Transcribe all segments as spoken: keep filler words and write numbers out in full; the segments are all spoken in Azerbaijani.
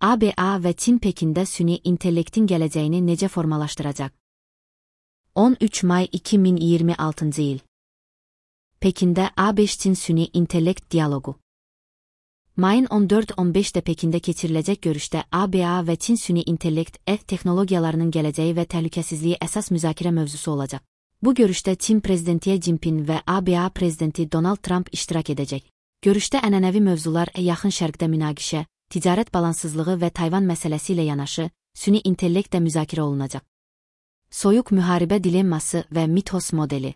A B A və Çin Pekində süni intellektin gələcəyini necə formalaşdıracaq? on üç may iki min iyirmi altıncı il. Pekində A beş Çin süni intellekt dialoqu. Mayın on dörd on beşdə Pekində keçiriləcək görüşdə A B A və Çin süni intellekt E texnologiyalarının gələcəyi və təhlükəsizliyi əsas müzakirə mövzusu olacaq. Bu görüşdə Çin prezidenti Xi Jinping və A B A prezidenti Donald Trump iştirak edəcək. Görüşdə ənənəvi mövzular Yaxın Şərqdə münaqişə, ticarət balansızlığı və Tayvan məsələsi ilə yanaşı, süni intellekt də müzakirə olunacaq. Soyuq müharibə dilemması və Mythos modeli.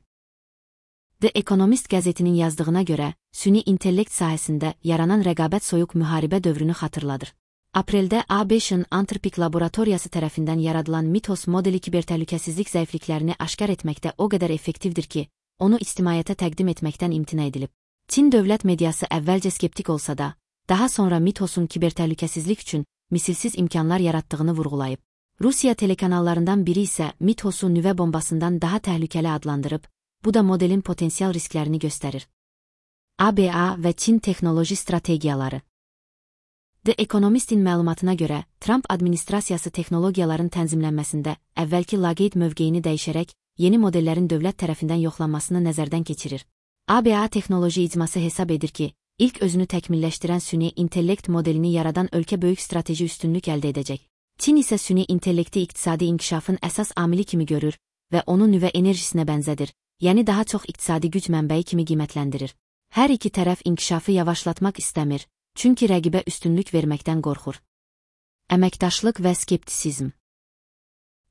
The Economist qəzetinin yazdığına görə, süni intellekt sahəsində yaranan rəqabət soyuq müharibə dövrünü xatırladır. Apreldə A beşin Anthropic laboratoriyası tərəfindən yaradılan Mythos modeli kibertəhlükəsizlik zəifliklərini aşkar etməkdə o qədər effektivdir ki, onu ictimaiyyətə təqdim etməkdən imtina edilib. Çin dövlət mediası əvvəlcə skeptik olsa da, daha sonra Mythosun kibertəhlükəsizlik üçün misilsiz imkanlar yaratdığını vurğulayıb. Rusiya telekanallarından biri isə Mythosu nüvə bombasından daha təhlükəli adlandırıb, bu da modelin potensial risklərini göstərir. A B A və Çin texnoloji strategiyaları. The Economist'in məlumatına görə, Trump administrasiyası texnologiyaların tənzimlənməsində əvvəlki laqeyd mövqeyini dəyişərək, yeni modellərin dövlət tərəfindən yoxlanmasını nəzərdən keçirir. A B A texnoloji icması hesab edir ki, ilk özünü təkmilləşdirən süni intellekt modelini yaradan ölkə böyük strateji üstünlük əldə edəcək. Çin isə süni intellekti iqtisadi inkişafın əsas amili kimi görür və onu nüvə enerjisinə bənzədir, yəni daha çox iqtisadi güc mənbəyi kimi qiymətləndirir. Hər iki tərəf inkişafı yavaşlatmaq istəmir, çünki rəqibə üstünlük verməkdən qorxur. Əməkdaşlıq və skeptisizm.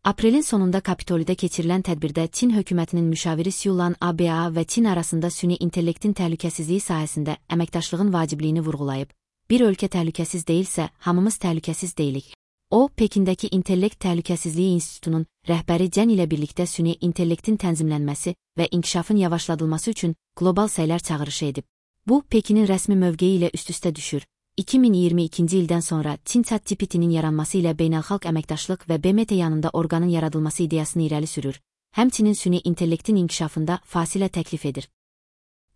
Aprelin sonunda Kapitolidə keçirilən tədbirdə Çin hökumətinin müşaviri Xu A B A və Çin arasında süni intellektin təhlükəsizliyi sahəsində əməkdaşlığın vacibliyini vurğulayıb, bir ölkə təhlükəsiz deyilsə, hamımız təhlükəsiz deyilik. O, Pekindəki İntellekt Təhlükəsizliyi İnstitutunun rəhbəri Cən ilə birlikdə süni intellektin tənzimlənməsi və inkişafın yavaşladılması üçün qlobal səylər çağırışı edib. Bu, Pekinin rəsmi mövqeyi ilə üst-üstə düşür. iki min iyirmi ikinci ildən sonra Çin ChatGPT'nin yaranması ilə beynəlxalq əməkdaşlıq və B M T yanında orqanın yaradılması ideyasını irəli sürür, həmçinin süni intellektin inkişafında fasilə təklif edir.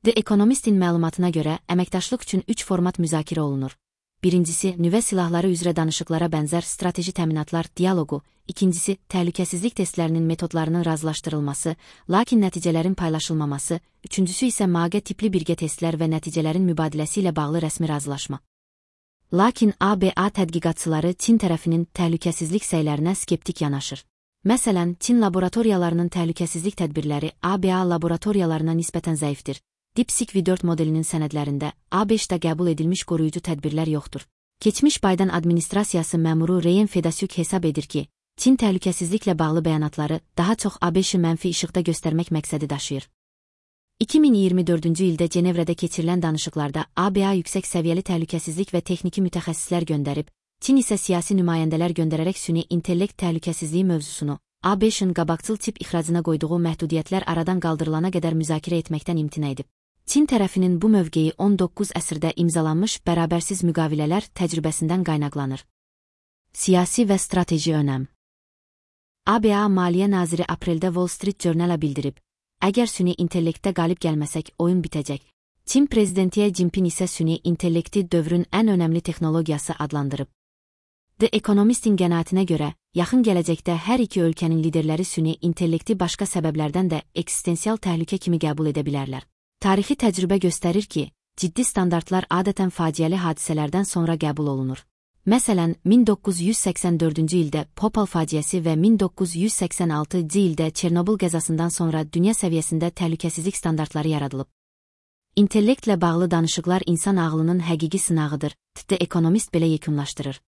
The Economist'in məlumatına görə, əməkdaşlıq üçün üç format müzakirə olunur. Birincisi, nüvə silahları üzrə danışıqlara bənzər strateji təminatlar dialoqu, ikincisi, təhlükəsizlik testlərinin metodlarının razılaşdırılması, lakin nəticələrin paylaşılmaması, üçüncüsü isə MAGE tipli birgə testlər və nəticələrin mübadiləsi ilə bağlı rəsmi razılaşma. Lakin A B A tədqiqatçıları Çin tərəfinin təhlükəsizlik səylərinə skeptik yanaşır. Məsələn, Çin laboratoriyalarının təhlükəsizlik tədbirləri A B A laboratoriyalarına nisbətən zəifdir. DeepSeek V dörd modelinin sənədlərində A beşdə qəbul edilmiş qoruyucu tədbirlər yoxdur. Keçmiş Biden administrasiyası məmuru Ryan Fedasyuk hesab edir ki, Çin təhlükəsizliklə bağlı bəyanatları daha çox A beşi mənfi işıqda göstərmək məqsədi daşıyır. iki min iyirmi dördüncü ildə Cenevrədə keçirilən danışıqlarda A B A yüksək səviyyəli təhlükəsizlik və texniki mütəxəssislər göndərib, Çin isə siyasi nümayəndələr göndərərək süni intellekt təhlükəsizliyi mövzusunu A beşin qabaqcıl tip ixracına qoyduğu məhdudiyyətlər aradan qaldırılana qədər müzakirə etməkdən imtina edib. Çin tərəfinin bu mövqeyi on doqquz əsrdə imzalanmış bərabərsiz müqavilələr təcrübəsindən qaynaqlanır. Siyasi və strateji önəm. A B A Maliyyə Naziri apreldə Wall Street Journal-a bildirib, əgər süni intellektdə qalib gəlməsək, oyun bitəcək. Çin prezidenti Xi Jinping isə süni intellekti dövrün ən önəmli texnologiyası adlandırıb. The Economist'in qənaətinə görə, yaxın gələcəkdə hər iki ölkənin liderləri süni intellekti başqa səbəblərdən də eksistensial təhlükə kimi qəbul edə bilərlər. Tarixi təcrübə göstərir ki, ciddi standartlar adətən faciəli hadisələrdən sonra qəbul olunur. Məsələn, min doqquz yüz səksən dördüncü ildə Bhopal faciəsi və min doqquz yüz səksən altıncı ildə Çernobıl qəzasından sonra dünya səviyyəsində təhlükəsizlik standartları yaradılıb. İntellektlə bağlı danışıqlar insan ağlının həqiqi sınağıdır, The Economist belə yekunlaşdırır.